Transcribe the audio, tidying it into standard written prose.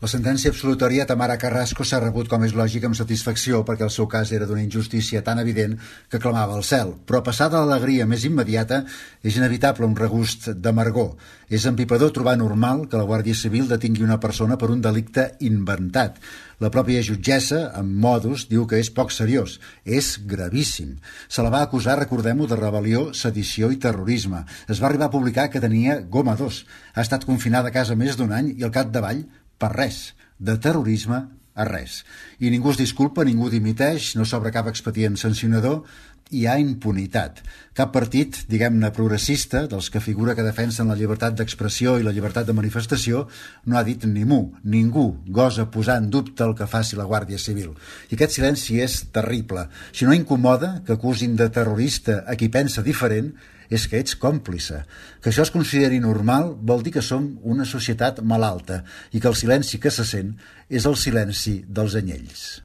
La sentència absolutòria a Tamara Carrasco s'ha rebut, com és lògic, amb satisfacció, perquè el seu cas era d'una injustícia tan evident que clamava al cel. Però passada l'alegria més immediata, és inevitable un regust d'amargor. És empipador trobar normal que la Guàrdia Civil detingui una persona per un delicte inventat. La pròpia jutgessa, amb modus, diu que és poc seriós. És gravíssim. Se la va acusar, recordem-ho, de rebel·lió, sedició i terrorisme. Es va arribar a publicar que tenia goma 2. Ha estat confinada a casa més d'un any i al capdavall per res, de terrorisme a res. I ningú es disculpa, ningú dimiteix, no s'obre cap expedient sancionador, hi ha impunitat. Cap partit, diguem-ne progressista, dels que figura que defensen la llibertat d'expressió i la llibertat de manifestació, no ha dit ni mu. Ningú gosa posar en dubte el que faci la Guàrdia Civil. I aquest silenci és terrible. Si no incomoda que acusin de terrorista a qui pensa diferent, és que ets còmplice. Que això es consideri normal vol dir que som una societat malalta i que el silenci que se sent és el silenci dels anyells.